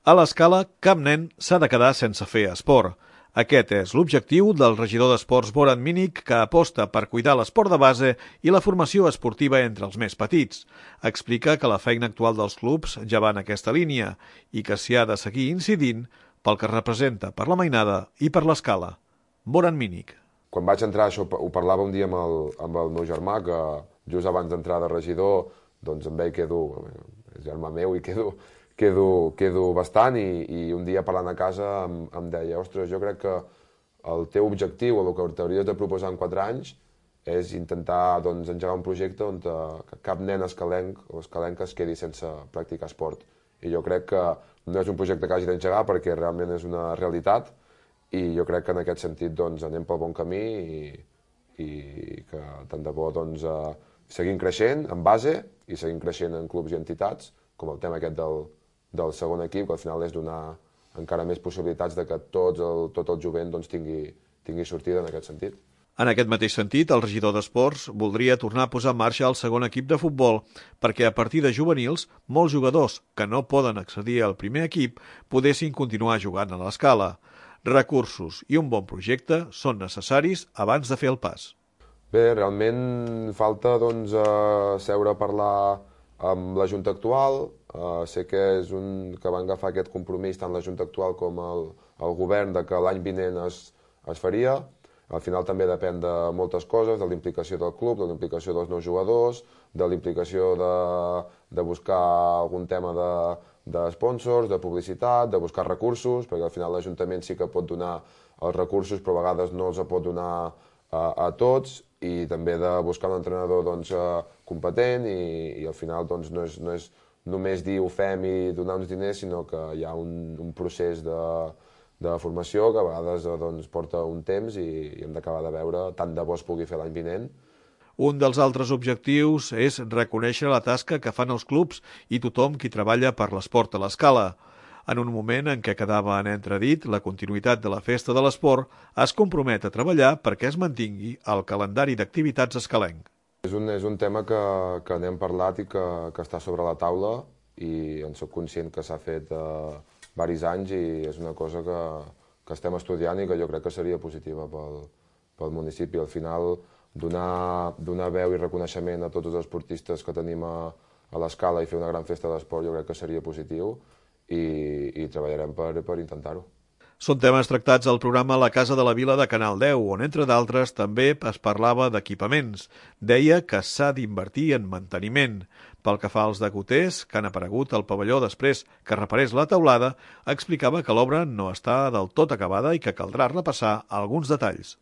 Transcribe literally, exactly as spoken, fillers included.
A l'Escala, cap nen s'ha de quedar sense fer esport. Aquest és l'objectiu del regidor d'Esports Boran Minic, que aposta per cuidar l'esport de base i la formació esportiva entre els més petits. Explica que la feina actual dels clubs ja va en aquesta línia i que s'hi ha de seguir incidint pel que representa per la mainada i per l'Escala. Boran Minic. Quan vaig entrar, això ho parlava un dia amb el, amb el meu germà, que just abans d'entrar de regidor, doncs amb ell quedo, és germà meu i quedo, quedo, quedo bastant, i, i un dia parlant a casa em, em deia, ostres, jo crec que el teu objectiu, o el que t'hauries de proposar en quatre anys, és intentar doncs, engegar un projecte on te, que cap nen escalenc o escalenca es quedi sense practicar esport. I jo crec que no és un projecte que hagi d'engegar perquè realment és una realitat, i jo crec que en aquest sentit doncs, anem pel bon camí i, i que tant de bo doncs, eh, seguim creixent en base i seguim creixent en clubs i entitats, com el tema aquest del, del segon equip, que al final és donar encara més possibilitats de que tots el, tot el jovent doncs, tingui, tingui sortida en aquest sentit. En aquest mateix sentit, el regidor d'Esports voldria tornar a posar en marxa el segon equip de futbol perquè a partir de juvenils, molts jugadors que no poden accedir al primer equip podessin continuar jugant a l'Escala. Recursos i un bon projecte són necessaris abans de fer el pas. Bé, realment falta doncs, eh, seure a parlar amb la Junta actual. Eh, sé que és un que van agafar aquest compromís tant la Junta actual com el, el govern de que l'any vinent es, es faria. Al final també depèn de moltes coses, de la implicació del club, de la implicació dels nous jugadors, de la implicació de, de buscar algun tema de, de sponsors, de publicitat, de buscar recursos, perquè al final l'Ajuntament sí que pot donar els recursos, però a vegades no els pot donar a, a tots, i també de buscar un entrenador doncs, competent, i, i al final doncs, no, és, no és només dir ho fem i donar uns diners, sinó que hi ha un, un procés de, de formació que a vegades doncs, porta un temps i, i hem d'acabar de veure, tant de bo es pugui fer l'any vinent. Un dels altres objectius és reconèixer la tasca que fan els clubs i tothom qui treballa per l'esport a l'Escala. En un moment en què quedava en entredit la continuïtat de la Festa de l'Esport, es compromet a treballar perquè es mantingui el calendari d'activitats escalenc. És un, és un tema que, que n'hem parlat i que, que està sobre la taula, i en soc conscient que s'ha fet eh, diversos anys i és una cosa que, que estem estudiant i que jo crec que seria positiva pel, pel municipi. Al final, donar, donar veu i reconeixement a tots els esportistes que tenim a, a l'Escala i fer una gran festa d'esport jo crec que seria positiu, i, i treballarem per, per intentar-ho. Són temes tractats al programa La Casa de la Vila de Canal deu, on, entre d'altres, també es parlava d'equipaments. Deia que s'ha d'invertir en manteniment. Pel que fa als decoters, que han aparegut al pavelló després que reparés la teulada, explicava que l'obra no està del tot acabada i que caldrà repassar alguns detalls.